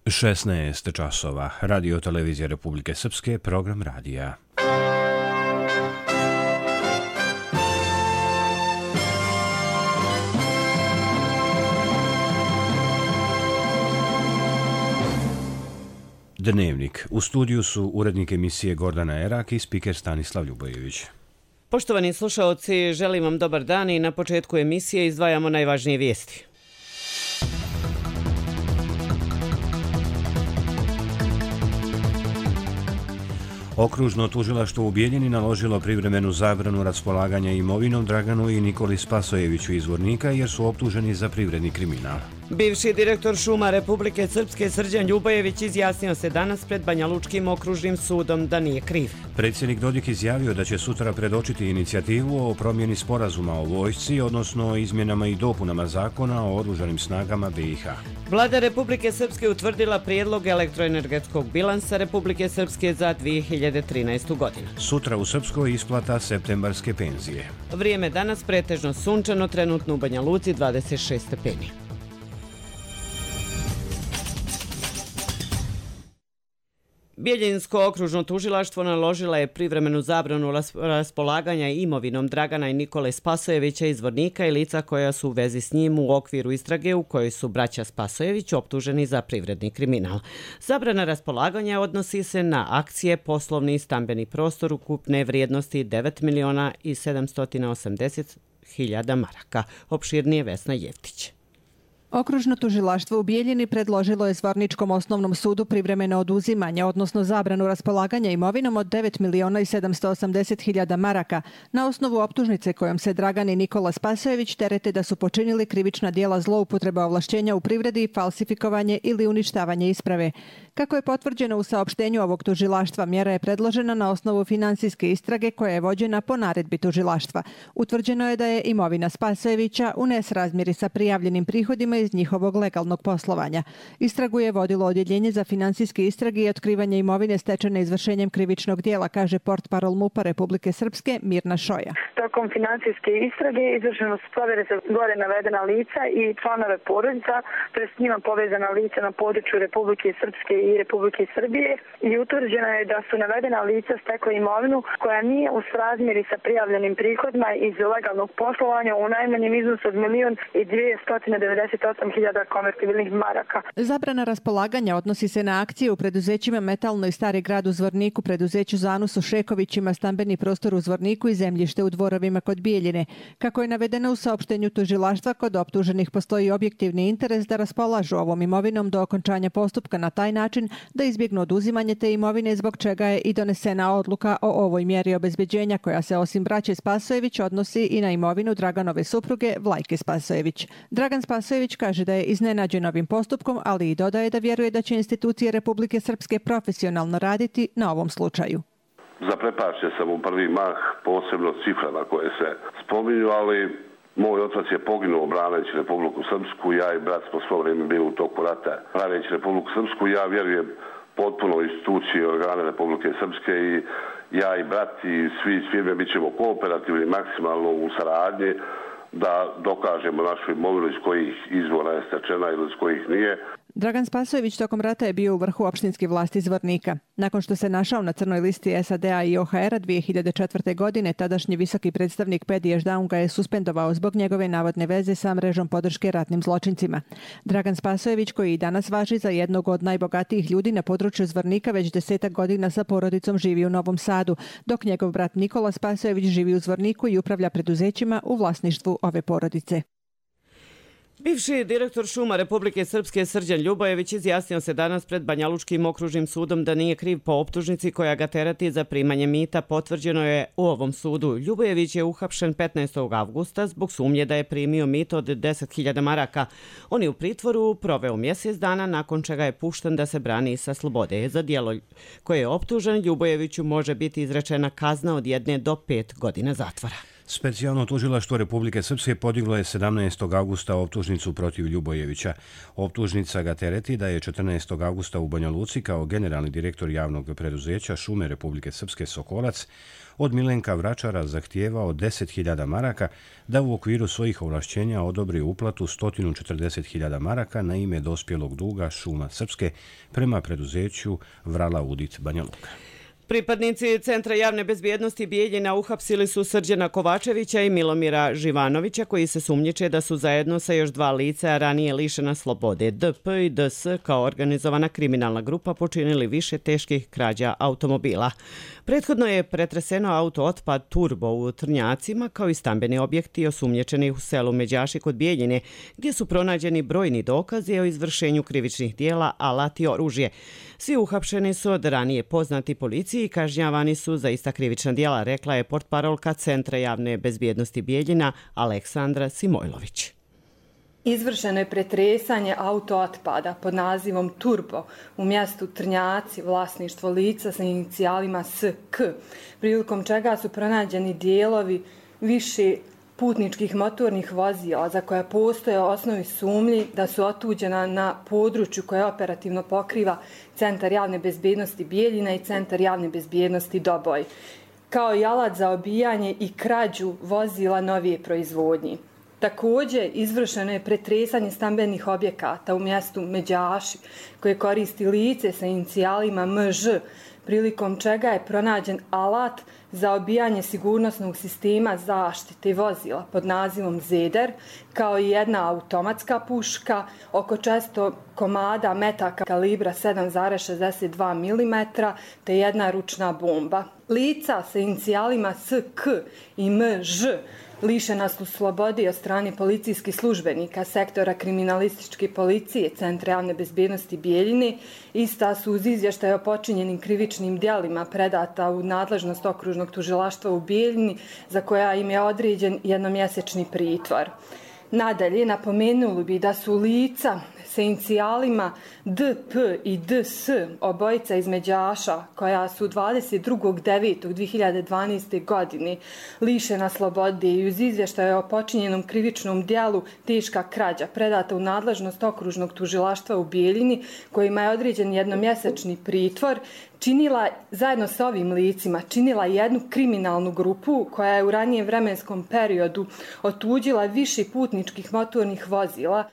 16 časova. Radio televizija Republike Srpske, program radija. Dnevnik. U studiju su urednik emisije Gordana Erak i spiker Stanislav Ljubojević. Poštovani slušaoci, želim vam dobar dan i na početku emisije izdvajamo najvažnije vijesti. Okružno tužilaštvo u Bijeljini naložilo privremenu zabranu raspolaganja imovinom Draganu i Nikoli Spasojeviću iz Zvornika jer su optuženi za privredni kriminal. Bivši direktor šuma Republike Srpske Srđan Ljubojević izjasnio se danas pred Banjalučkim okružnim sudom da nije kriv. Predsjednik Dodik izjavio da će sutra predočiti inicijativu o promjeni sporazuma o vojsci, odnosno o izmjenama i dopunama zakona o oružanim snagama BiH. Vlada Republike Srpske utvrdila prijedlog elektroenergetskog bilansa Republike Srpske za 2013. godinu. Sutra u Srpskoj isplata septembarske penzije. Vrijeme danas pretežno sunčano, trenutno u Banja Luci 26 stepeni. Bijeljinsko okružno tužilaštvo naložila je privremenu zabranu raspolaganja imovinom Dragana i Nikole Spasojevića iz Zvornika i lica koja su u vezi s njim u okviru istrage u kojoj su braća Spasojević optuženi za privredni kriminal. Zabrana raspolaganja odnosi se na akcije, poslovni i stambeni prostor ukupne vrijednosti 9.780.000 maraka. Opširnije Vesna Jevtić. Okružno tužilaštvo u Bijeljini predložilo je Zvorničkom osnovnom sudu privremeno oduzimanje, odnosno zabranu raspolaganja imovinom od 9.780.000 maraka na osnovu optužnice kojom se Dragan i Nikola Spasojević terete da su počinili krivična djela zloupotreba ovlašćenja u privredi, falsifikovanje ili uništavanje isprave. Kako je potvrđeno u saopštenju ovog tužilaštva, mjera je predložena na osnovu finansijske istrage koja je vođena po naredbi tužilaštva. Utvrđeno je da je imovina Spasojevića u nesrazmjeri sa prijavljenim prihodima iz njihovog legalnog poslovanja. Istragu je vodilo odjeljenje za finansijske istrage i otkrivanje imovine stečene izvršenjem krivičnog djela, kaže portparol MUP-a Republike Srpske Mirna Šoja. Tokom finansijske istrage izvršeno su provjere za gore navedena lica i članove porodica, to je s njima povezana lica na području Republike Srpske i Republike Srbije i utvrđeno je da su navedena lica stekla imovinu koja nije u srazmjeri sa prijavljenim prihodima iz legalnog poslovanja u najmanjem iznosu od 1.298.000 konvertibilnih maraka. Zabrana raspolaganja odnosi se na akcije u preduzećima Metalno i Stari grad u Zvorniku, preduzeću Zanus u Šekovićima, stambeni prostor u Zvorniku i zemljište u Dvorovima kod Bijeljine. Kako je navedeno u saopštenju tužilaštva, kod optuženih postoji objektivni interes da raspolažu ovom imovinom do okončanja postupka na taj način da izbjegnu oduzimanje te imovine, zbog čega je i donesena odluka o ovoj mjeri obezbeđenja koja se osim braće Spasojević odnosi i na imovinu Draganove supruge Vlajke Spasojević. Dragan Spasojević kaže da je iznenađen ovim postupkom, ali i dodaje da vjeruje da će institucije Republike Srpske profesionalno raditi na ovom slučaju. Zaprepašćen sam u prvi mah, posebno ciframa koje se spominju, ali moj otac je poginuo braneći Republiku Srpsku, ja i brat smo svo vrijeme bili u toku rata braneći Republiku Srpsku. Ja vjerujem potpuno u institucije i organe Republike Srpske i ja i brat i svi firme bit ćemo kooperativni maksimalno u saradnji da dokažemo našu imovinu iz kojih izvora je stečena ili iz kojih nije. Dragan Spasojević tokom rata je bio u vrhu opštinske vlasti Zvornika. Nakon što se našao na crnoj listi SAD-a i OHR-a 2004. godine, tadašnji visoki predstavnik Pedi Ešdaun ga je suspendovao zbog njegove navodne veze sa mrežom podrške ratnim zločincima. Dragan Spasojević, koji i danas važi za jednog od najbogatijih ljudi na području Zvornika, već 10 godina sa porodicom živi u Novom Sadu, dok njegov brat Nikola Spasojević živi u Zvorniku i upravlja preduzećima u vlasništvu ove porodice. Bivši direktor šuma Republike Srpske Srđan Ljubojević izjasnio se danas pred Banjalučkim okružnim sudom da nije kriv po optužnici koja ga terati za primanje mita. Potvrđeno je u ovom sudu. Ljubojević je uhapšen 15. avgusta zbog sumnje da je primio mito od 10.000 maraka. On je u pritvoru proveo mjesec dana, nakon čega je pušten da se brani sa slobode. Za djelo koje je optužen, Ljubojeviću može biti izrečena kazna od 1 do 5 godina zatvora. Specijalno tužilaštvo Republike Srpske podiglo je 17. augusta optužnicu protiv Ljubojevića. Optužnica ga tereti da je 14. augusta u Banja Luci kao generalni direktor javnog preduzeća Šume Republike Srpske Sokolac od Milenka Vračara zahtijevao 10.000 maraka da u okviru svojih ovlašćenja odobri uplatu 140.000 maraka na ime dospjelog duga Šuma Srpske prema preduzeću Vrala Udit Banja Luka. Pripadnici Centra javne bezbjednosti Bijeljina uhapsili su Srđana Kovačevića i Milomira Živanovića, koji se sumnjiče da su zajedno sa još dva lica ranije lišena slobode, DP i DS, kao organizovana kriminalna grupa počinili više teških krađa automobila. Prethodno je pretreseno auto otpad Turbo u Trnjacima, kao i stambeni objekti osumnjičeni u selu Međaši kod Bijeljine, gdje su pronađeni brojni dokazi o izvršenju krivičnih dijela, alat i oružje. Svi uhapšeni su od ranije poznati policiji i kažnjavani su za ista krivična djela, rekla je portparolka Centra javne bezbjednosti Bijeljina Aleksandra Simojlović. Izvršeno je pretresanje auto otpada pod nazivom Turbo u mjestu Trnjaci, vlasništvo lica sa inicijalima SK, prilikom čega su pronađeni dijelovi više putničkih motornih vozila za koja postoje osnovi sumnji da su otuđena na području koje operativno pokriva Centar javne bezbjednosti Bijeljina i Centar javne bezbjednosti Doboj, kao i alat za obijanje i krađu vozila novije proizvodnje. Također, izvršeno je pretresanje stambenih objekata u mjestu Međaši, koje koristi lice sa inicijalima MŽ, prilikom čega je pronađen alat za obijanje sigurnosnog sistema zaštite vozila pod nazivom Zeder, kao i jedna automatska puška, oko 400 komada metaka kalibra 7,62 mm, te jedna ručna bomba. Lica sa inicijalima SK i MŽ lišena su slobode od strane policijskih službenika sektora kriminalističke policije Centra javne bezbjednosti Bijeljine. Ista su uz izvještaj o počinjenim krivičnim djelima predata u nadležnost okružnog tužilaštva u Bijeljini, za koja im je određen jednomjesečni pritvor. Nadalje, napomenuli bi da su lica sa inicijalima DP i DS, obojica iz Međaša, koja su 22.9.2012. godine lišena slobode i uz izvještaje o počinjenom krivičnom djelu teška krađa predata u nadležnost okružnog tužilaštva u Bijeljini, kojima je određen jednomjesečni pritvor, činila, zajedno sa ovim licima, činila jednu kriminalnu grupu koja je u ranijem vremenskom periodu otuđila više putničkih motornih vozila.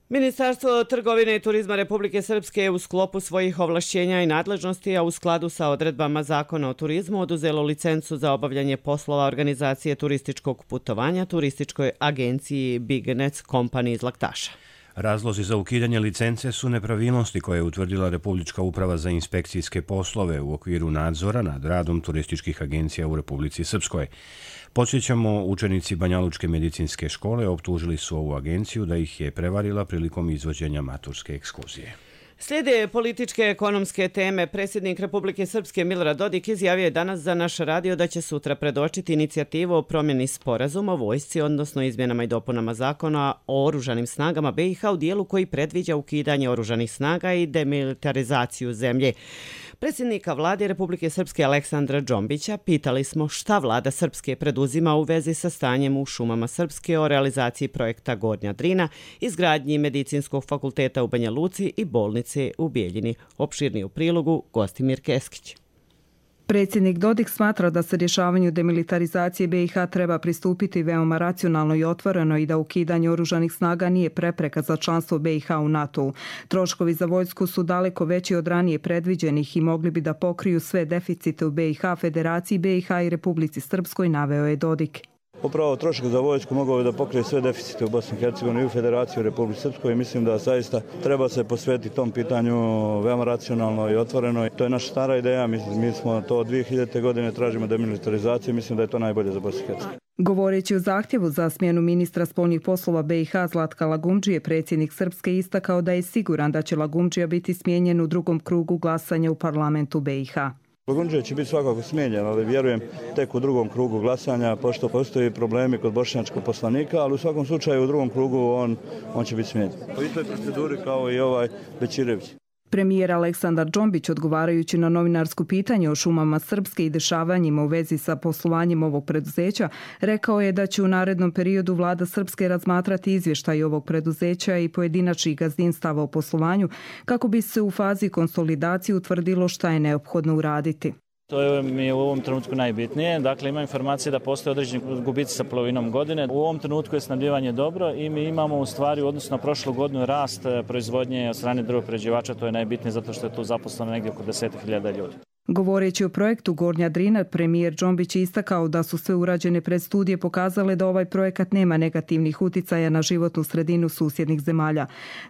Ministarstvo trgovine i turizma Republike Srpske je u sklopu svojih ovlašćenja i nadležnosti, a u skladu sa odredbama Zakona o turizmu, oduzelo licencu za obavljanje poslova organizacije turističkog putovanja turističkoj agenciji Bignec Company iz Laktaša. Razlozi za ukidanje licence su nepravilnosti koje je utvrdila Republička uprava za inspekcijske poslove u okviru nadzora nad radom turističkih agencija u Republici Srpskoj. Podsjećamo, učenici Banjalučke medicinske škole optužili su ovu agenciju da ih je prevarila prilikom izvođenja maturske ekskurzije. Slijede političke ekonomske teme. Predsjednik Republike Srpske Milorad Dodik izjavio je danas za naš radio da će sutra predočiti inicijativu o promjeni sporazuma o vojsci, odnosno izmjenama i dopunama zakona o oružanim snagama BiH u dijelu koji predviđa ukidanje oružanih snaga i demilitarizaciju zemlje. Predsjednika vlade Republike Srpske Aleksandra Džombića pitali smo šta vlada Srpske preduzima u vezi sa stanjem u šumama Srpske o realizaciji projekta Gornja Drina, izgradnji medicinskog fakulteta u Banja Luci i bolnice u Bijeljini. Opširni u prilogu Gostimir Keskić. Predsjednik Dodik smatra da se rješavanju demilitarizacije BiH treba pristupiti veoma racionalno i otvoreno i da ukidanje oružanih snaga nije prepreka za članstvo BiH u NATO-u. Troškovi za vojsku su daleko veći od ranije predviđenih i mogli bi da pokriju sve deficite u BiH, Federaciji BiH i Republici Srpskoj, naveo je Dodik. Upravo trošak za vojsku mogao je da pokrije sve deficite u Bosni i Hercegovini i u Federaciji u Republici Srpskoj i mislim da zaista treba se posvetiti tom pitanju veoma racionalno i otvoreno. To je naša stara ideja, mi smo to od 2000. godine tražimo demilitarizaciju i mislim da je to najbolje za Bosnu i Hercegovinu. Govoreći o zahtjevu za smjenu ministra spoljnih poslova BiH Zlatka Lagumdžije, predsjednik Srpske istakao da je siguran da će Lagumdžija biti smijenjen u drugom krugu glasanja u parlamentu BiH. Lagumdžija će biti svakako smijenjen, ali vjerujem tek u drugom krugu glasanja, pošto postoji problemi kod bošnjačkog poslanika, ali u svakom slučaju u drugom krugu on će biti smijenjen. Po istoj proceduri kao i ovaj Bećirević. Premijer Aleksandar Džombić, odgovarajući na novinarsko pitanje o šumama Srpske i dešavanjima u vezi sa poslovanjem ovog preduzeća, rekao je da će u narednom periodu vlada Srpske razmatrati izvještaj ovog preduzeća i pojedinačnih gazdinstava o poslovanju kako bi se u fazi konsolidacije utvrdilo šta je neophodno uraditi. To mi je u ovom trenutku najbitnije. Dakle, ima informacije da postoje određeni gubici sa polovinom godine. U ovom trenutku je snabdijevanje dobro i mi imamo u stvari u odnosu na prošlu godinu rast proizvodnje od strane drvoprerađivača. To je najbitnije zato što je tu zaposleno negdje oko 10.000 ljudi. Govoreći o projektu Gornja Drina, premijer Džombić je istakao da su sve urađene predstudije pokazale da ovaj projekat nema negativnih uticaja na životnu sredinu susjednih zemalja.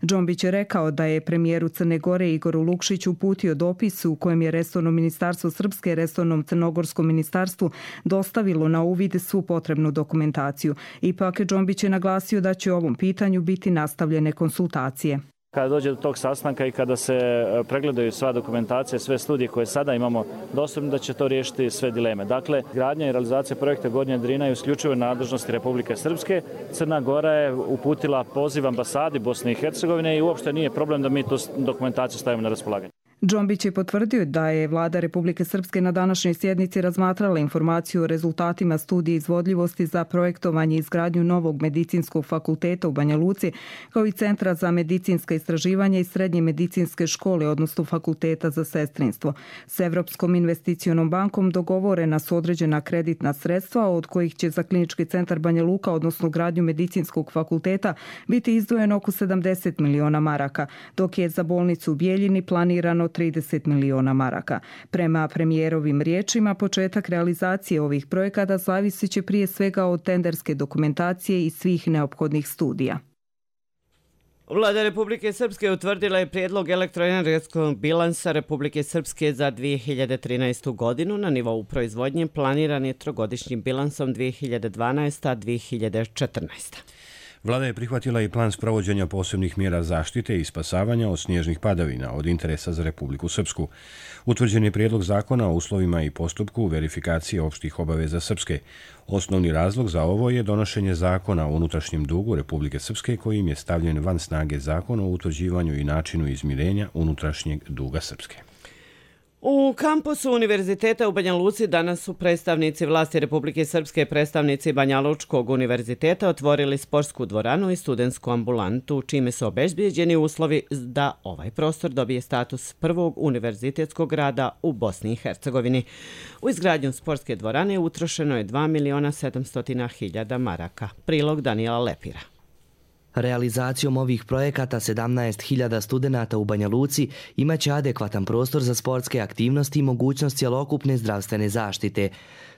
Džombić je rekao da je premijeru Crne Gore Igoru Lukšiću uputio dopis u kojem je resorno ministarstvo Srpske resornom crnogorskom ministarstvu dostavilo na uvid svu potrebnu dokumentaciju. Ipak Džombić je naglasio da će o ovom pitanju biti nastavljene konsultacije. Kada dođe do tog sastanka i kada se pregledaju sva dokumentacija, sve studije koje sada imamo dostupne, da će to riješiti sve dileme. Dakle, gradnja i realizacija projekta Gornja Drina je isključivo nadležnosti Republike Srpske. Crna Gora je uputila poziv ambasadi Bosne i Hercegovine i uopšte nije problem da mi tu dokumentaciju stavimo na raspolaganje. Džombić je potvrdio da je vlada Republike Srpske na današnjoj sjednici razmatrala informaciju o rezultatima studije izvodljivosti za projektovanje i izgradnju novog medicinskog fakulteta u Banja Luci, kao i Centra za medicinska istraživanja i Srednje medicinske škole, odnosno Fakulteta za sestrinstvo. S Evropskom investicionom bankom dogovorena su određena kreditna sredstva, od kojih će za Klinički centar Banja Luka, odnosno gradnju medicinskog fakulteta, biti izdvojeno oko 70 miliona maraka, dok je za bolnicu u Bijeljini planirano 30 miliona maraka. Prema premijerovim riječima, početak realizacije ovih projekata zavisit će prije svega od tenderske dokumentacije i svih neophodnih studija. Vlada Republike Srpske utvrdila je prijedlog elektroenergetskog bilansa Republike Srpske za 2013. godinu. Na nivou proizvodnje planiran je trogodišnjim bilansom 2012-2014. Vlada je prihvatila i plan sprovođenja posebnih mjera zaštite i spasavanja od snježnih padavina od interesa za Republiku Srpsku. Utvrđen je prijedlog zakona o uslovima i postupku verifikacije opštih obaveza Srpske. Osnovni razlog za ovo je donošenje zakona o unutrašnjem dugu Republike Srpske kojim je stavljen van snage zakon o utvrđivanju i načinu izmirenja unutrašnjeg duga Srpske. U kampusu Univerziteta u Banja Luci danas su predstavnici vlasti Republike Srpske i predstavnici Banja Lučkog univerziteta otvorili sportsku dvoranu i studentsku ambulantu, čime su obezbijeđeni uslovi da ovaj prostor dobije status prvog univerzitetskog grada u Bosni i Hercegovini. U izgradnju sportske dvorane utrošeno je 2.700.000 maraka. Prilog Danijela Lepira. Realizacijom ovih projekata 17.000 studenata u Banja Luci imaće adekvatan prostor za sportske aktivnosti i mogućnost cjelokupne zdravstvene zaštite.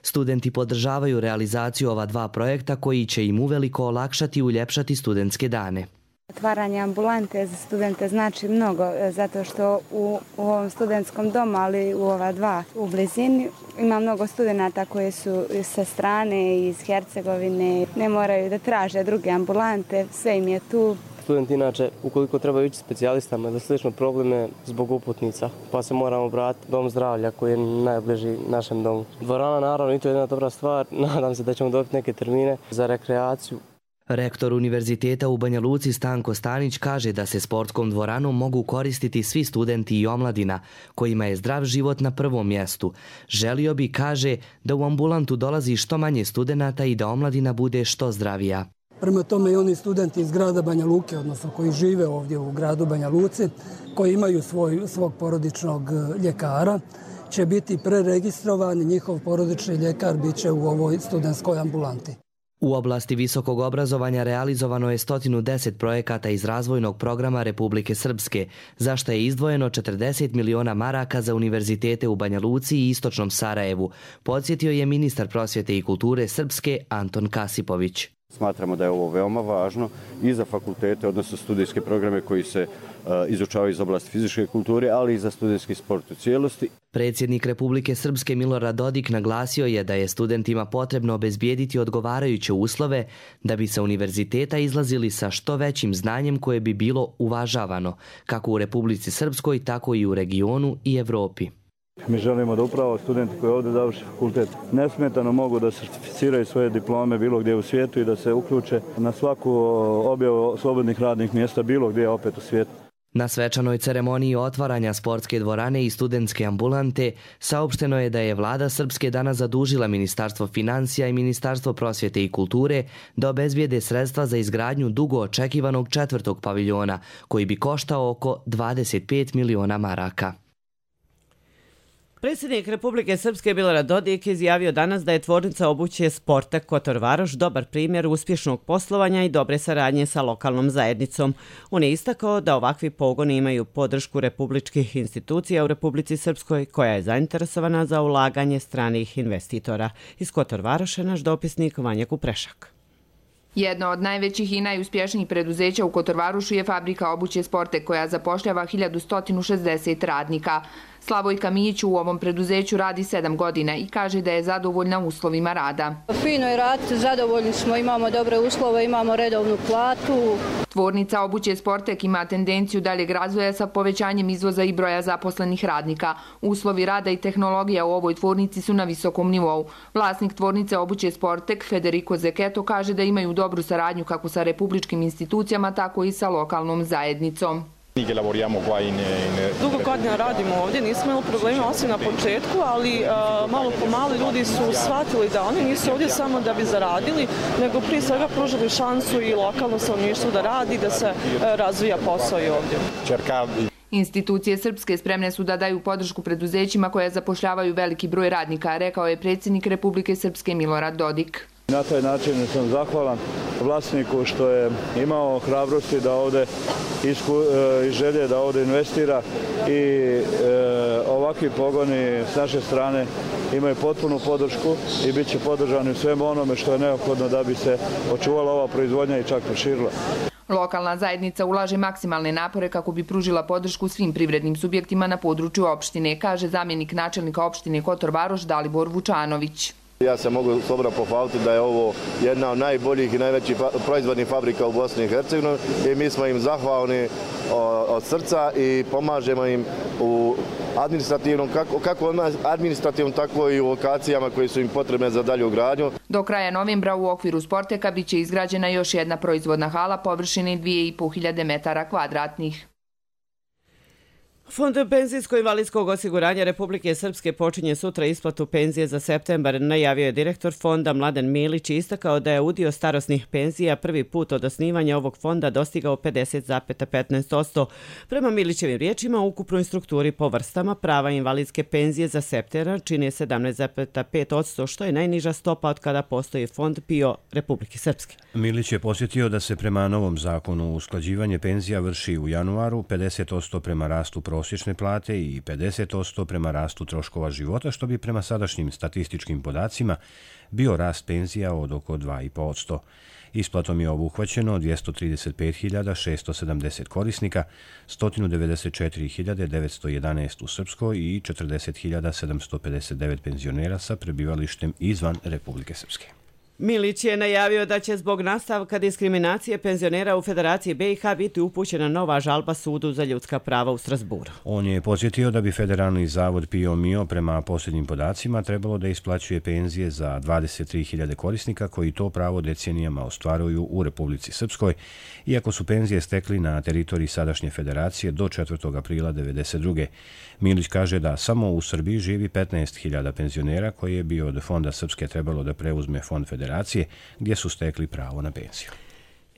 Studenti podržavaju realizaciju ova dva projekta koji će im uveliko olakšati i uljepšati studentske dane. Otvaranje ambulante za studente znači mnogo, zato što u ovom studentskom domu, ali u ova dva u blizini, ima mnogo studenata koji su sa strane iz Hercegovine, ne moraju da traže druge ambulante, sve im je tu. Studenti inače, ukoliko trebaju ići specijalistama za slične probleme zbog uputnica, pa se moramo obratiti dom zdravlja koji je najbliži našem domu. Dvorana naravno i to je jedna dobra stvar, nadam se da ćemo dobiti neke termine za rekreaciju. Rektor Univerziteta u Banja Luci Stanko Stanić kaže da se sportskom dvoranom mogu koristiti svi studenti i omladina, kojima je zdrav život na prvom mjestu. Želio bi, kaže, da u ambulantu dolazi što manje studenata i da omladina bude što zdravija. Prema tome i oni studenti iz grada Banja Luke, odnosno koji žive ovdje u gradu Banja Luci, koji imaju svog porodičnog ljekara, će biti preregistrovani, njihov porodični ljekar bit će u ovoj studentskoj ambulanti. U oblasti visokog obrazovanja realizovano je 110 projekata iz razvojnog programa Republike Srpske, za što je izdvojeno 40 miliona maraka za univerzitete u Banja Luci i Istočnom Sarajevu, podsjetio je ministar prosvjete i kulture Srpske Anton Kasipović. Smatramo da je ovo veoma važno i za fakultete, odnosno studijske programe koji se izučavaju iz oblasti fizičke kulture, ali i za studijski sport u cijelosti. Predsjednik Republike Srpske Milorad Dodik naglasio je da je studentima potrebno obezbijediti odgovarajuće uslove da bi sa univerziteta izlazili sa što većim znanjem koje bi bilo uvažavano, kako u Republici Srpskoj, tako i u regionu i Evropi. Mi želimo da upravo studenti koji ovdje završe fakultet nesmetano mogu da sertificiraju svoje diplome bilo gdje u svijetu i da se uključe na svaku objavu slobodnih radnih mjesta bilo gdje opet u svijetu. Na svečanoj ceremoniji otvaranja sportske dvorane i studentske ambulante saopšteno je da je vlada Srpske danas zadužila Ministarstvo financija i Ministarstvo prosvjete i kulture da obezbijede sredstva za izgradnju dugo očekivanog 4. paviljona, koji bi koštao oko 25 miliona maraka. Predsjednik Republike Srpske Milorad Dodik izjavio danas da je tvornica obuće Sportek Kotor Varoš dobar primjer uspješnog poslovanja i dobre saradnje sa lokalnom zajednicom. On je istakao da ovakvi pogoni imaju podršku republičkih institucija u Republici Srpskoj, koja je zainteresovana za ulaganje stranih investitora. Iz Kotor Varoša naš dopisnik Vanja Kuprešak. Jedno od najvećih i najuspješnijih preduzeća u Kotor Varošu je fabrika obuće Sportek, koja zapošljava 1160 radnika. Slavojka Mijić u ovom preduzeću radi 7 godina i kaže da je zadovoljna uslovima rada. Fino je raditi, zadovoljni smo, imamo dobre uslove, imamo redovnu platu. Tvornica obuće Sportek ima tendenciju daljeg razvoja sa povećanjem izvoza i broja zaposlenih radnika. Uslovi rada i tehnologija u ovoj tvornici su na visokom nivou. Vlasnik tvornice obuće Sportek, Federico Zeketo, kaže da imaju dobru saradnju kako sa republičkim institucijama, tako i sa lokalnom zajednicom. Dugo godina radimo ovdje, nismo imali problema osim na početku, ali malo po malo ljudi su shvatili da oni nisu ovdje samo da bi zaradili, nego prije svega pružili šansu i lokalnom stanovništvu da radi, da se razvija posao i ovdje. Institucije Srpske spremne su da daju podršku preduzećima koje zapošljavaju veliki broj radnika, rekao je predsjednik Republike Srpske Milorad Dodik. Na taj način sam zahvalan vlasniku što je imao hrabrosti da ovdje i želje da ovdje investira i ovakvi pogoni s naše strane imaju potpunu podršku i bit će podržani u svemu onome što je neophodno da bi se očuvala ova proizvodnja i čak proširila. Lokalna zajednica ulaže maksimalne napore kako bi pružila podršku svim privrednim subjektima na području opštine, kaže zamjenik načelnika opštine Kotor Varoš Dalibor Vučanović. Ja se mogu slobodno pohvaliti da je ovo jedna od najboljih i najvećih proizvodnih fabrika u Bosni i Hercegovini i mi smo im zahvalni od srca i pomažemo im u administrativnom, kako administrativnom, tako i u lokacijama koje su im potrebne za dalju gradnju. Do kraja novembra u okviru Sporteka biće izgrađena još jedna proizvodna hala površine 2500 metara kvadratnih. Fond penzijsko-invalidskog osiguranja Republike Srpske počinje sutra isplatu penzije za septembar, najavio je direktor fonda Mladen Milić i istakao da je udio starosnih penzija prvi put od osnivanja ovog fonda dostigao 50,15%. Prema Milićevim riječima, u ukupnoj strukturi po vrstama prava invalidske penzije za septembar čine 17,5%, što je najniža stopa od kada postoji fond PIO Republike Srpske. Milić je posjetio da se prema novom zakonu usklađivanje penzija vrši u januaru, 50% prema rastu prosječne plate i 50% prema rastu troškova života, što bi prema sadašnjim statističkim podacima bio rast penzija od oko 2,5%. Isplatom je obuhvaćeno 235.670 korisnika, 194.911 u Srpskoj i 40.759 penzionera sa prebivalištem izvan Republike Srpske. Milić je najavio da će zbog nastavka diskriminacije penzionera u Federaciji BiH biti upućena nova žalba Sudu za ljudska prava u Strasburu. On je podsjetio da bi Federalni zavod PIO MIO prema posljednjim podacima trebalo da isplaćuje penzije za 23.000 korisnika koji to pravo decenijama ostvaruju u Republici Srpskoj, iako su penzije stekli na teritoriji sadašnje federacije do 4. aprila 1992. Milić kaže da samo u Srbiji živi 15.000 penzionera koje je bio od Fonda Srpske trebalo da preuzme Fond Federacije, gdje su stekli pravo na penziju.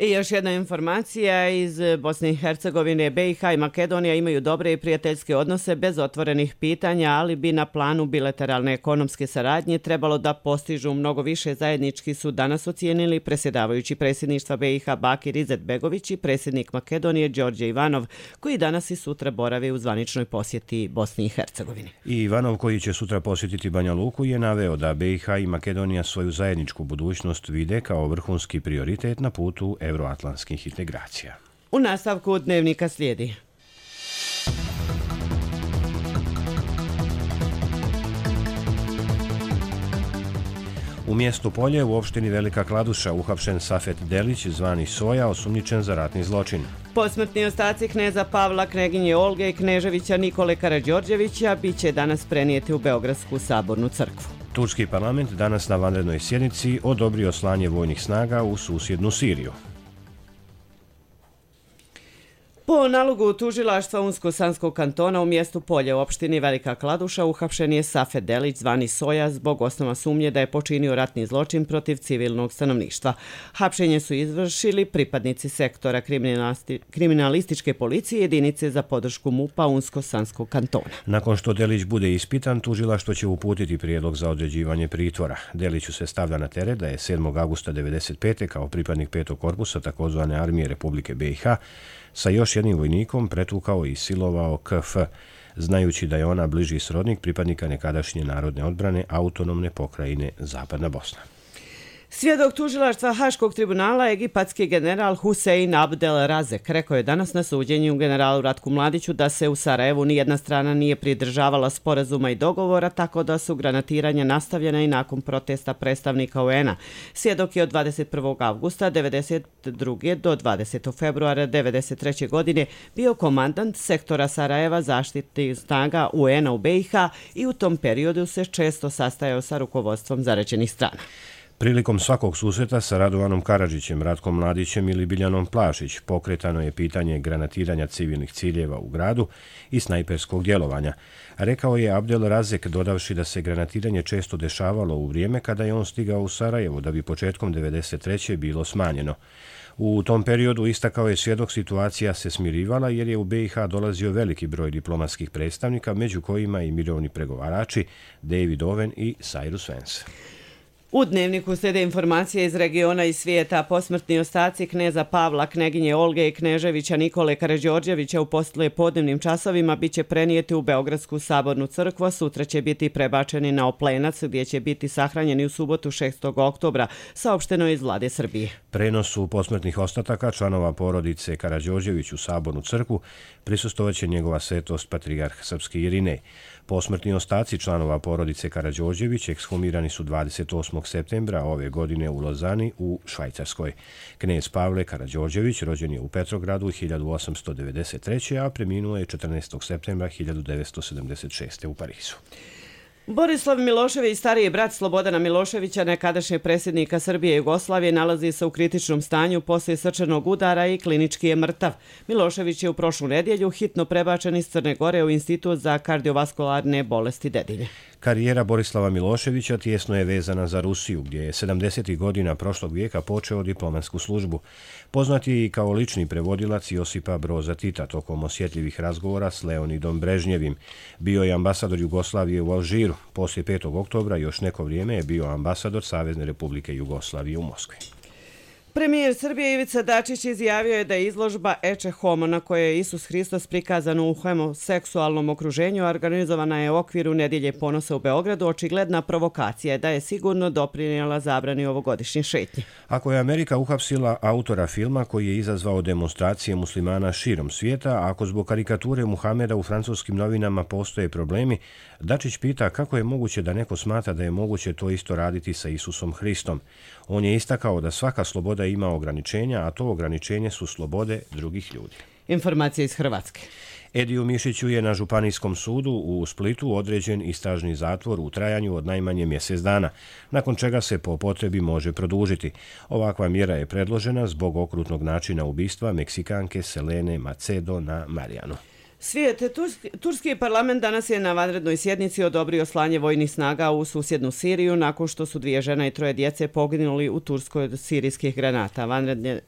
I još jedna informacija iz Bosne i Hercegovine. BiH i Makedonija imaju dobre i prijateljske odnose bez otvorenih pitanja, ali bi na planu bilateralne ekonomske saradnje trebalo da postižu mnogo više. Zajednički su danas ocijenili predsjedavajući predsjedništva BiH Bakir Izetbegović i predsjednik Makedonije Đorđe Ivanov, koji danas i sutra borave u zvaničnoj posjeti Bosni i Hercegovini. I Ivanov, koji će sutra posjetiti Banja Luku, je naveo da BiH i Makedonija svoju zajedničku budućnost vide kao vrhunski prioritet na putu euroatlantskih integracija. U nastavku dnevnika slijedi. U mjestu Polje u opštini Velika Kladuša uhapšen Safet Delić, zvani Soja, osumnjičen za ratni zločin. Posmrtni ostaci kneza Pavla, kneginje Olge i kneževića Nikole Karađorđevića biće danas prenijeti u Beogradsku sabornu crkvu. Turski parlament danas na vanrednoj sjednici odobrio slanje vojnih snaga u susjednu Siriju. Po nalogu tužilaštva Unsko-Sanskog kantona u mjestu Polje u opštini Velika Kladuša uhapšen je Safet Delić zvani Soja zbog osnova sumnje da je počinio ratni zločin protiv civilnog stanovništva. Hapšenje su izvršili pripadnici sektora kriminalističke policije jedinice za podršku MUP-a Unsko-Sanskog kantona. Nakon što Delić bude ispitan, tužilaštvo će uputiti prijedlog za određivanje pritvora. Deliću se stavlja na teret da je 7. augusta 1995. kao pripadnik 5. korpusa takozvane armije Republike BiH sa još jednim vojnikom pretukao i silovao KF, znajući da je ona bliži srodnik pripadnika nekadašnje narodne odbrane autonomne pokrajine Zapadna Bosna. Svjedok tužilaštva Haškog tribunala, egipatski general Husein Abdel Razek, rekao je danas na suđenju generalu Ratku Mladiću da se u Sarajevu nijedna strana nije pridržavala sporazuma i dogovora, tako da su granatiranja nastavljena i nakon protesta predstavnika UN-a. Svjedok je od 21. avgusta 1992. do 20. februara 1993. godine bio komandant sektora Sarajeva zaštitnih snaga UN-a u BiH i u tom periodu se često sastajao sa rukovodstvom zaraćenih strana. Prilikom svakog susreta sa Radovanom Karadžićem, Ratkom Mladićem ili Biljanom Plašić pokretano je pitanje granatiranja civilnih ciljeva u gradu i snajperskog djelovanja. Rekao je Abdel Razek, dodavši da se granatiranje često dešavalo u vrijeme kada je on stigao u Sarajevo, da bi početkom 1993. bilo smanjeno. U tom periodu, istakao je svjedok, situacija se smirivala jer je u BiH dolazio veliki broj diplomatskih predstavnika, među kojima i mirovni pregovarači David Owen i Cyrus Vance. U Dnevniku slijede informacije iz regiona i svijeta. Posmrtni ostaci kneza Pavla, kneginje Olge i kneževića Nikole Karađorđevića u poslijepodnevnim časovima bit će prenijeti u Beogradsku sabornu crkvu, a sutra će biti prebačeni na Oplenac, gdje će biti sahranjeni u subotu 6. oktobra, saopšteno iz Vlade Srbije. Prenosu posmrtnih ostataka članova porodice Karađorđević u sabornu crkvu prisustovat će njegova svetost patrijarh srpski Irinej. Posmrtni ostaci članova porodice Karađorđević ekshumirani su 28. septembra ove godine u Lozani u Švajcarskoj. Knez Pavle Karađorđević rođen je u Petrogradu 1893. a preminuo je 14. septembra 1976. u Parizu. Borislav Milošević, stariji brat Slobodana Miloševića, nekadašnjeg predsjednika Srbije i Jugoslavije, nalazi se u kritičnom stanju poslije srčanog udara i klinički je mrtav. Milošević je u prošlu nedjelju hitno prebačen iz Crne Gore u Institut za kardiovaskularne bolesti Dedinje. Karijera Borislava Miloševića tijesno je vezana za Rusiju, gdje je 70. godina prošlog vijeka počeo diplomatsku službu. Poznat je i kao lični prevodilac Josipa Broza Tita tokom osjetljivih razgovora s Leonidom Brežnjevim. Bio je ambasador Jugoslavije u Alžiru. Poslije 5. oktobra još neko vrijeme je bio ambasador Savezne Republike Jugoslavije u Moskvi. Premijer Srbije Ivica Dačić izjavio je da je izložba Ecce Homo, na kojoj je Isus Hristos prikazan u homoseksualnom okruženju, organizovana je u okviru Nedjelje ponosa u Beogradu, očigledna provokacija, da je sigurno doprinijela zabrani ovogodišnje šetnje. Ako je Amerika uhapsila autora filma koji je izazvao demonstracije muslimana širom svijeta, a ako zbog karikature Muhameda u francuskim novinama postoje problemi, Dačić pita kako je moguće da neko smatra da je moguće to isto raditi sa Isusom Hristom. On je istakao da svaka sloboda ima ograničenja, a to ograničenje su slobode drugih ljudi. Informacije iz Hrvatske. Ediju Mišiću je na Županijskom sudu u Splitu određen istražni zatvor u trajanju od najmanje mjesec dana, nakon čega se po potrebi može produžiti. Ovakva mjera je predložena zbog okrutnog načina ubistva Meksikanke Selene Macedo na Marijanu. Turski parlament danas je na vanrednoj sjednici odobrio slanje vojnih snaga u susjednu Siriju nakon što su 2 žene i 3 djece poginuli u Turskoj od sirijskih granata.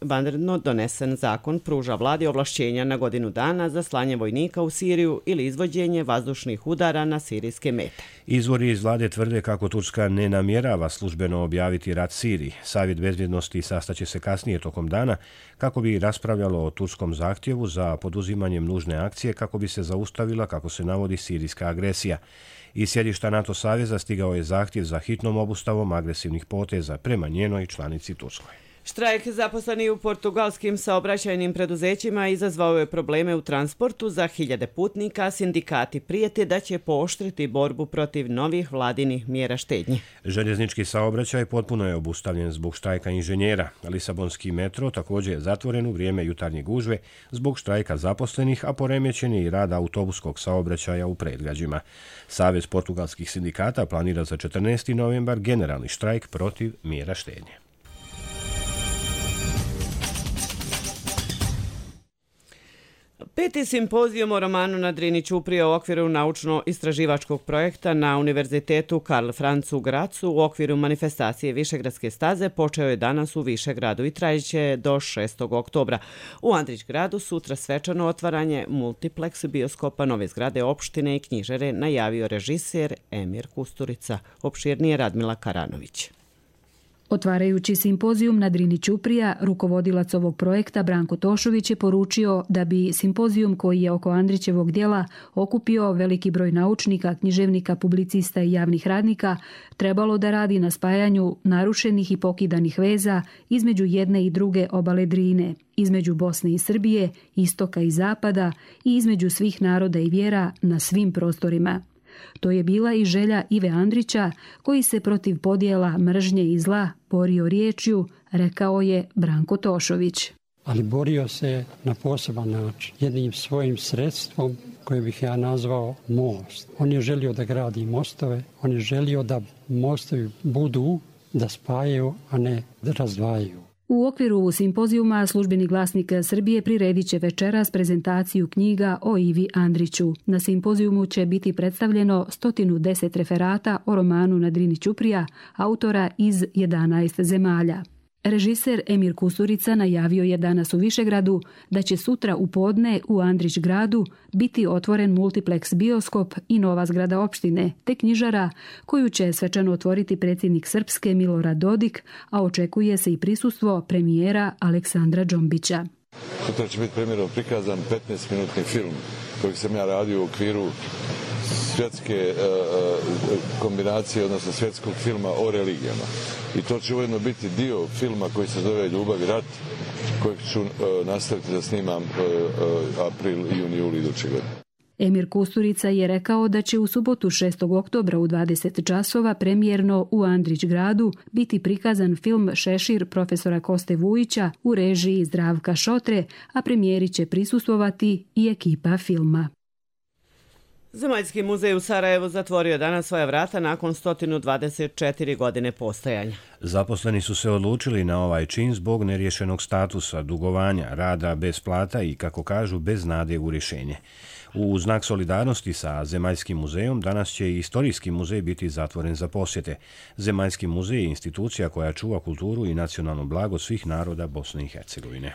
Vanredno donesen zakon pruža vladi ovlašćenja na godinu dana za slanje vojnika u Siriju ili izvođenje vazdušnih udara na sirijske mete. Izvori iz vlade tvrde kako Turska ne namjerava službeno objaviti rat Siriji. Savjet bezbjednosti sastaće se kasnije tokom dana kako bi raspravljalo o turskom zahtjevu za poduzimanjem nužne akcije kako bi se zaustavila, kako se navodi, sirijska agresija. Iz sjedišta NATO saveza stigao je zahtjev za hitnom obustavom agresivnih poteza prema njenoj članici Turskoj. Štrajk zaposleni u portugalskim saobraćajnim preduzećima izazvao je probleme u transportu za hiljade putnika. Sindikati prijete da će pooštriti borbu protiv novih vladinih mjera štednje. Željeznički saobraćaj potpuno je obustavljen zbog štrajka inženjera. Lisabonski metro također je zatvoren u vrijeme jutarnje gužve zbog štrajka zaposlenih, a poremećen je i rad autobuskog saobraćaja u predgrađima. Savez portugalskih sindikata planira za 14. novembar generalni štrajk protiv mjera štednje. Peti simpozijum o romanu na Drini Ćuprije u okviru naučno-istraživačkog projekta na Univerzitetu Karl Franz u Gracu u okviru manifestacije Višegradske staze počeo je danas u Višegradu i trajiće do 6. oktobra. U Andrićgradu sutra svečano otvaranje multiplex bioskopa nove zgrade opštine i knjižare najavio režiser Emir Kusturica. Opširnije Radmila Karanović. Otvarajući simpozijum na Drini Ćuprija, rukovodilac ovog projekta Branko Tošović je poručio da bi simpozijum koji je oko Andrićevog djela okupio veliki broj naučnika, književnika, publicista i javnih radnika, trebalo da radi na spajanju narušenih i pokidanih veza između jedne i druge obale Drine, između Bosne i Srbije, istoka i zapada i između svih naroda i vjera na svim prostorima. To je bila i želja Ive Andrića, koji se protiv podjela, mržnje i zla borio riječju, rekao je Branko Tošović. Ali borio se na poseban način, jednim svojim sredstvom koje bih ja nazvao most. On je želio da gradi mostove, on je želio da mostovi budu, da spajaju, a ne da razdvajaju. U okviru simpozijuma Službeni glasnik Srbije priredit će večeras prezentaciju knjiga o Ivi Andriću. Na simpozijumu će biti predstavljeno 110 referata o romanu na Drini Ćuprija, autora iz 11 zemalja. Režiser Emir Kusturica najavio je danas u Višegradu da će sutra u podne u Andrićgradu biti otvoren multiplex bioskop i nova zgrada opštine, te knjižara koju će svečano otvoriti predsjednik Srpske Milorad Dodik, a očekuje se i prisustvo premijera Aleksandra Džombića. Sutra će biti premijerno prikazan 15-minutni film kojeg sam ja radio u okviru svjetske kombinacije, odnosno svjetskog filma o religijama. I to će ujedno biti dio filma koji se zove Ljubav i rat, kojeg ću nastaviti da snimam april, juni, juli iduće godine. Emir Kusturica je rekao da će u subotu 6. oktobra u 20 časova premijerno u Andrićgradu biti prikazan film Šešir profesora Koste Vujića u režiji Zdravka Šotre, a premijeri će prisustvovati i ekipa filma. Zemaljski muzej u Sarajevu zatvorio danas svoja vrata nakon 124 godine postojanja. Zaposleni su se odlučili na ovaj čin zbog neriješenog statusa, dugovanja, rada bez plata i, kako kažu, bez nade u rješenje. U znak solidarnosti sa Zemaljskim muzejom danas će i Istorijski muzej biti zatvoren za posjete. Zemaljski muzej je institucija koja čuva kulturu i nacionalno blago svih naroda Bosne i Hercegovine.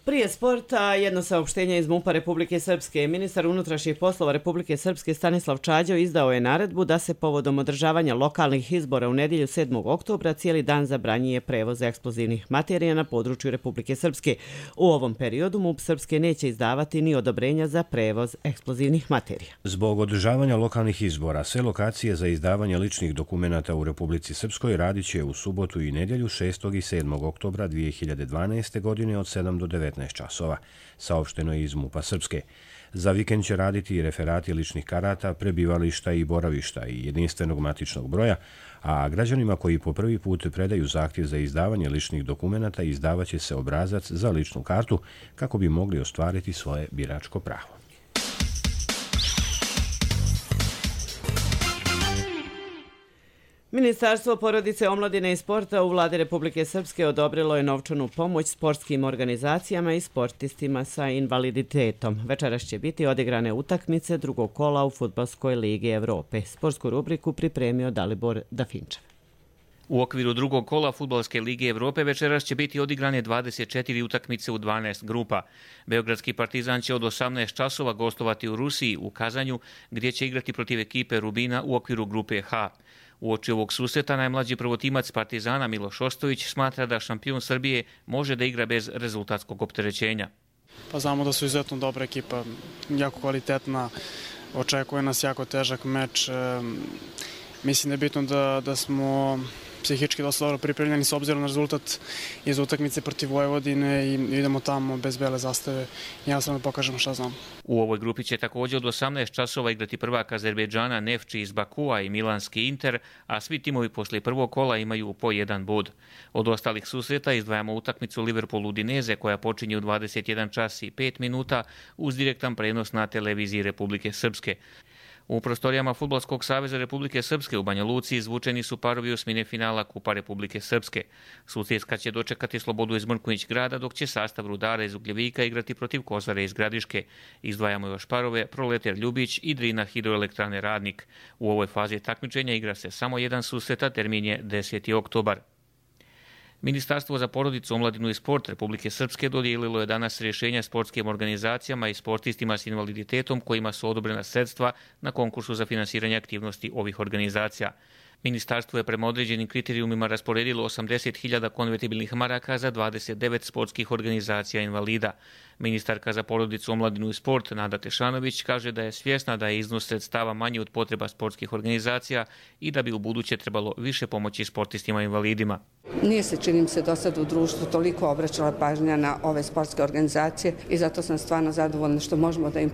Prije sporta, jedno saopštenje iz MUP-a Republike Srpske. Ministar unutrašnjih poslova Republike Srpske Stanislav Čađo izdao je naredbu da se povodom održavanja lokalnih izbora u nedjelju 7. oktobra cijeli dan zabranjuje prevoz eksplozivnih materija na području Republike Srpske. U ovom periodu MUP Srpske neće izdavati ni odobrenja za prevoz eksplozivnih materija. Zbog održavanja lokalnih izbora, sve lokacije za izdavanje ličnih dokumenata u Republici Srpskoj radit će u subotu i nedjelju 6. i 7. oktobra 2012. godine od 7 do 19 časova, saopšteno je iz MUP-a Srpske. Za vikend će raditi i referati ličnih karata, prebivališta i boravišta i jedinstvenog matičnog broja, a građanima koji po prvi put predaju zahtjev za izdavanje ličnih dokumenata izdavaće se obrazac za ličnu kartu kako bi mogli ostvariti svoje biračko pravo. Ministarstvo porodice, omladine i sporta u Vladi Republike Srpske odobrilo je novčanu pomoć sportskim organizacijama i sportistima sa invaliditetom. Večeras će biti odigrane utakmice drugog kola u Fudbalskoj ligi Evrope. Sportsku rubriku pripremio Dalibor Dafinčev. U okviru drugog kola Fudbalske lige Evrope večeras će biti odigrane 24 utakmice u 12 grupa. Beogradski Partizan će od 18 časova gostovati u Rusiji, u Kazanju, gdje će igrati protiv ekipe Rubina u okviru grupe H. Uoči ovog susreta najmlađi prvotimac Partizana Miloš Ostojić smatra da šampion Srbije može da igra bez rezultatskog opterećenja. Pa znamo da su izuzetno dobra ekipa, jako kvalitetna, očekuje nas jako težak meč. Mislim da je bitno da smo psihički dosta dobro pripremljeni s obzirom na rezultat iz utakmice protiv Vojvodine i idemo tamo bez bele zastave. Ja sam da pokažem šta znam. U ovoj grupi će također od 18 časova igrati prvak Azerbejdžana Nefči iz Bakua i Milanski Inter, a svi timovi poslije prvog kola imaju po jedan bod. Od ostalih susreta izdvajamo utakmicu Liverpool-Udineze koja počinje u 21 čas i 5 minuta uz direktan prenos na televiziji Republike Srpske. U prostorijama Fudbalskog saveza Republike Srpske u Banja Luci izvučeni su parovi osmine finala Kupa Republike Srpske. Sutjeska će dočekati Slobodu iz Mrkonjić grada, dok će sastav Rudara iz Ugljevika igrati protiv Kozare iz Gradiške. Izdvajamo još parove Proletar Ljubić i Drina Hidroelektrane Radnik. U ovoj fazi takmičenja igra se samo jedan susret, a termin je 10. oktobar. Ministarstvo za porodicu, omladinu i sport Republike Srpske dodijelilo je danas rješenja sportskim organizacijama i sportistima s invaliditetom kojima su odobrena sredstva na konkursu za finansiranje aktivnosti ovih organizacija. Ministarstvo je prema određenim kriterijumima rasporedilo 80.000 konvertibilnih maraka za 29 sportskih organizacija invalida. Ministarka za porodicu, omladinu i sport Nada Tešanović kaže da je svjesna da je iznos sredstava manji od potreba sportskih organizacija i da bi u buduće trebalo više pomoći sportistima invalidima. Nije se, čini se, do sad u društvu toliko obraćala pažnja na ove sportske organizacije i zato sam stvarno zadovoljna što možemo da im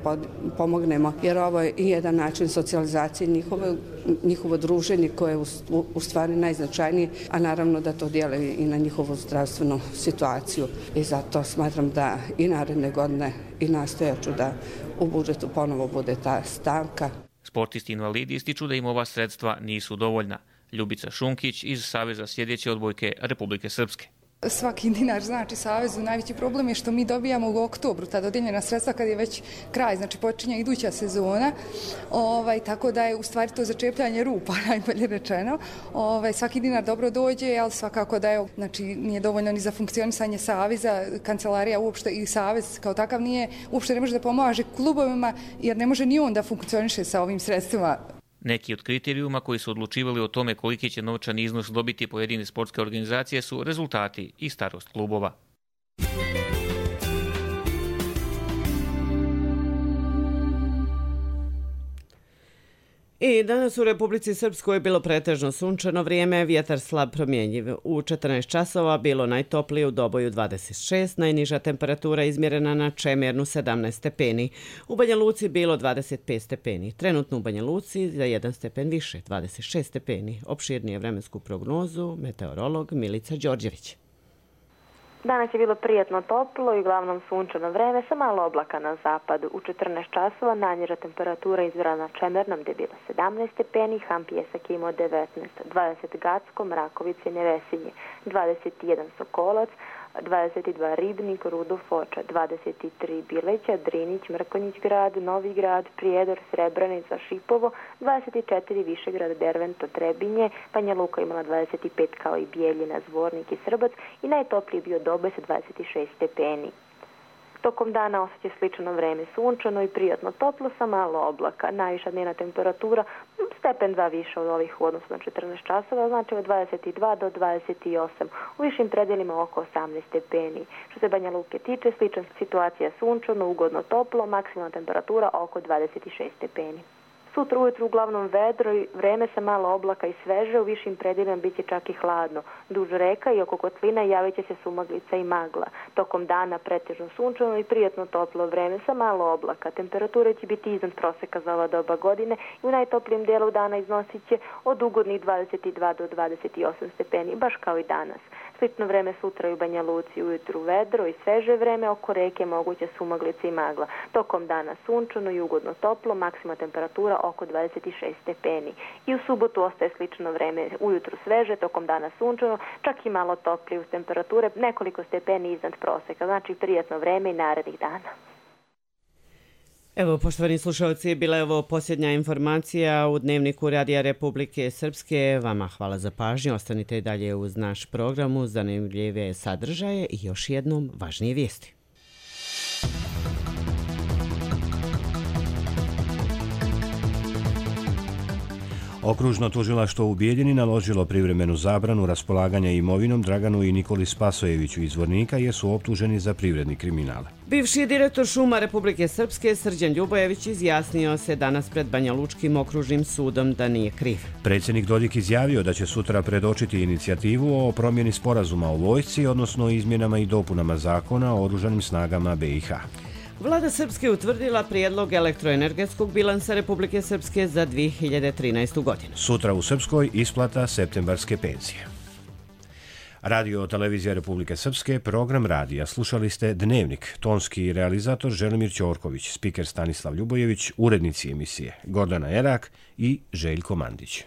pomognemo, jer ovo je i jedan način socijalizacije njihovo druženje koje je u stvari najznačajnije, a naravno da to dijele i na njihovu zdravstvenu situaciju. I zato smatram da i naredne godine i nastojaću da u budžetu ponovo bude ta stavka. Sportisti invalidi ističu da im ova sredstva nisu dovoljna. Ljubica Šunkić iz Saveza sjedeće odbojke Republike Srpske. Svaki dinar znači Savezu. Najveći problem je što mi dobijamo u oktobru ta dodijeljena sredstva kad je već kraj, znači počinje iduća sezona, tako da je u stvari to začepljanje rupa, najbolje rečeno. Svaki dinar dobro dođe, ali svakako da je, znači nije dovoljno ni za funkcionisanje Saveza, kancelarija uopšte i Savez kao takav uopšte ne može da pomaže klubovima jer ne može ni on da funkcioniše sa ovim sredstvima. Neki od kriterijuma koji su odlučivali o tome koliki će novčani iznos dobiti pojedine sportske organizacije su rezultati i starost klubova. I danas u Republici Srpskoj je bilo pretežno sunčano vrijeme, vjetar slab promjenjiv. U 14 časova bilo najtoplije u Doboju 26, najniža temperatura izmjerena na Čemernu 17 stepeni. U Banja Luci bilo 25 stepeni. Trenutno u Banja Luci za 1 stepen više, 26 stepeni. Opširnije vremensku prognozu meteorolog Milica Đorđević. Danas je bilo prijatno toplo i uglavnom sunčano vreme sa malo oblaka na zapadu. U 14 časova najniža temperatura izmjerena na Čemernom gdje je bilo 17 stepeni, Hampijesak imao 19, 20 Gacko, Mrakovice, Nevesinje, 21 Sokolac, 22 Ribnik, Rudo, Foča, 23 Bileća, Drinić, Mrkonjić grad, Novi grad, Prijedor, Srebrenica, Šipovo, 24 Višegrad, Dervento, Trebinje, Banja Luka imala 25 kao i Bijeljina, Zvornik i Srbac i najtopliji bio Doboj sa 26 stepeni. Tokom dana osjeća slično vreme sunčano i prijatno toplo sa malo oblaka. Najviša dnevna temperatura stepen 2 više od ovih u odnosu na 14 časova, znači od 22 do 28. U višim predjelima oko 18 stepeni. Što se Banja Luke tiče, slična situacija sunčano, ugodno toplo, maksimalna temperatura oko 26 stepeni. Sutra ujutru uglavnom vedro i vreme sa malo oblaka i sveže, u višim predjelima bit će čak i hladno. Duž reka i oko kotlina javit će se sumaglica i magla. Tokom dana pretežno sunčano i prijatno toplo vreme sa malo oblaka. Temperature će biti iznad proseka za ova doba godine i u najtoplijem dijelu dana iznosit će od ugodnih 22 do 28 stepeni, baš kao i danas. Slično vreme sutra i u Banja Luci, ujutru vedro i sveže vreme, oko reke moguće sumaglice i magla. Tokom dana sunčano i ugodno toplo, maksimalna temperatura oko 26 stepeni. I u subotu ostaje slično vreme, ujutru sveže, tokom dana sunčano, čak i malo toplije uz temperature, nekoliko stepeni iznad proseka, znači prijatno vreme i narednih dana. Evo, poštovani slušalci, bila je ovo posljednja informacija u Dnevniku Radija Republike Srpske. Vama hvala za pažnju, ostanite i dalje uz naš program, uz zanimljive sadržaje i još jednom važnije vijesti. Okružno tužilaštvo u Bijeljini naložilo privremenu zabranu raspolaganja imovinom Draganu i Nikoli Spasojeviću iz Zvornika jer su optuženi za privredni kriminal. Bivši direktor šuma Republike Srpske Srđan Ljubojević izjasnio se danas pred Banja Lučkim okružnim sudom da nije kriv. Predsjednik Dodik izjavio da će sutra predočiti inicijativu o promjeni sporazuma o vojsci, odnosno izmjenama i dopunama zakona o oružanim snagama BiH. Vlada Srpske utvrdila prijedlog elektroenergetskog bilansa Republike Srpske za 2013. godinu. Sutra u Srpskoj isplata septembarske penzije. Radio Televizija Republike Srpske, program radija. Slušali ste Dnevnik, tonski realizator Želimir Ćorković, spiker Stanislav Ljubojević, urednici emisije Gordana Erak i Željko Mandić.